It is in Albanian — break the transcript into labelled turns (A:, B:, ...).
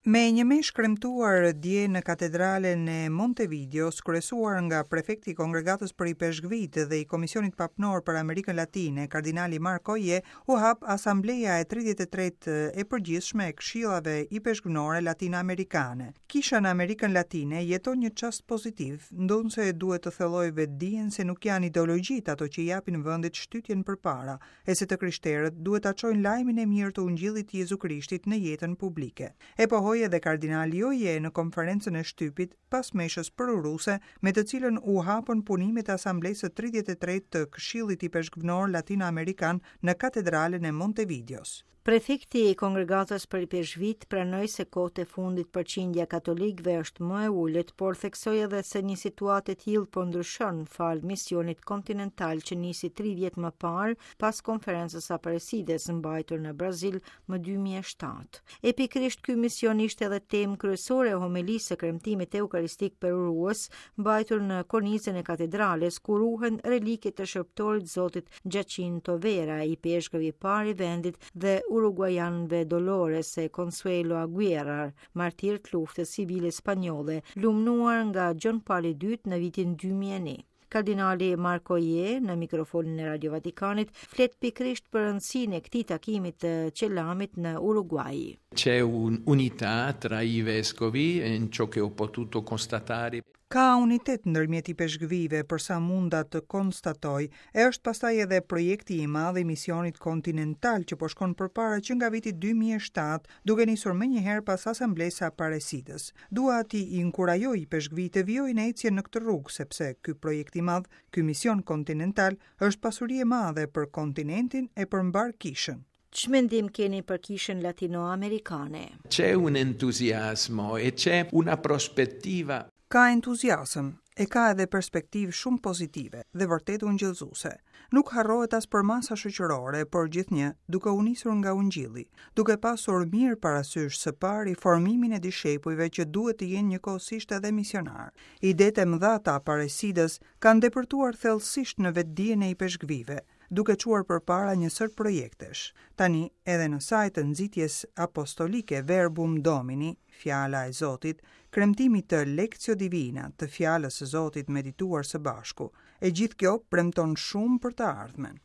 A: Me një meshë kremtuar dje në Katedralen e Montevideos, kryesuar nga prefekti i Kongregatës për Ipeshkvijtë dhe i Komisionit Papnor për Amerikën Latine, kardinali Mark Oje, u hap Asambleja e 33 e përgjithshme e Këshillave Ipeshkvnore Latinoamerikane. Kisha në Amerikën Latine jeton një çast pozitiv, ndonëse duhet të thellojë vetëdijen se nuk janë ideologjitë ato që i japin vendit shtytjen përpara, e se të krishterët duhet ta çojnë lajmin e mirë të Ungjillit të Jezu Krishtit në jetën publike. E pohoi edhe kardinali Oje në konferencën e shtypit pas meshës përuruese me të cilën u hapën punimet e Asamblesë së 33 të Këshillit Ipeshkvnor Latinoamerikan në Katedralen e Montevideos.
B: Prefekti i Kongregatës për Ipeshkvijtë pranoi se kohët e fundit përqindja e katolikëve është më e ulët, por theksoi edhe se një situatë e tillë po ndryshon falë misionit kontinental që nisi 3 vjet më parë pas konferencës Aparecides mbajtur në Brazil më 2007. E pikërisht ky mision ishte edhe temë kryesore e homelisë së kremtimit eukaristik përurues mbajtur në kornizën e katedrales ku ruhen reliket e shërbëtorit Zotit Giacinto Vera, ipeshkëv i parë i vendit dhe uruguajanëve Dolores e Consuelo Aguirre, martirë të luftës civile spanjolle, lumnuar nga Gjon Pali II në vitin 2001. Kardinali Mark Oje në mikrofonin e Radio Vatikanit flet pikërisht për rëndësinë e këtij takimi të Celamit në Uruguay.
C: C'è un'unità tra i vescovi in ciò che ho potuto constatare.
A: Ka unitet ndërmjet ipeshkvijve për sa munda të konstatoj, e është pastaj edhe projekti i madh i misionit kontinental që po shkon përpara që nga viti 2007, duke nisur menjëherë pas Asamblesë së Aparecidës. Dua t'i inkurajoj ipeshkvijtë të vijojnë ecjen në këtë rrugë, sepse ky projekt i madh, ky mision kontinental, është pasuri e madhe për kontinentin e për mbarë kishën.
B: Ç'mendim keni për kishën latinoamerikane?
C: C'è un entusiasmo e c'è una prospettiva.
A: Ka entuziasëm, e ka edhe perspektivë shumë pozitive dhe vërtet ungjillëzuese. Nuk harrohet as përmasa shoqërore, por gjithnjë duke u nisur nga ungjilli, duke pasur mirë parasysh së pari formimin e dishepujve që duhet të jenë njëkohësisht edhe misionarë. Idetë e mëdha të Aparecidës kanë depërtuar thellësisht në vetëdijen e ipeshkvijve, duke çuar përpara një sërë projektesh. Tani, edhe në sajë të nxitjes apostolike Verbum Domini, Fjala e Zotit, kremtimit të Lectio Divina, të Fjalës së Zotit medituar së bashku, e gjithë kjo premton shumë për të ardhmen.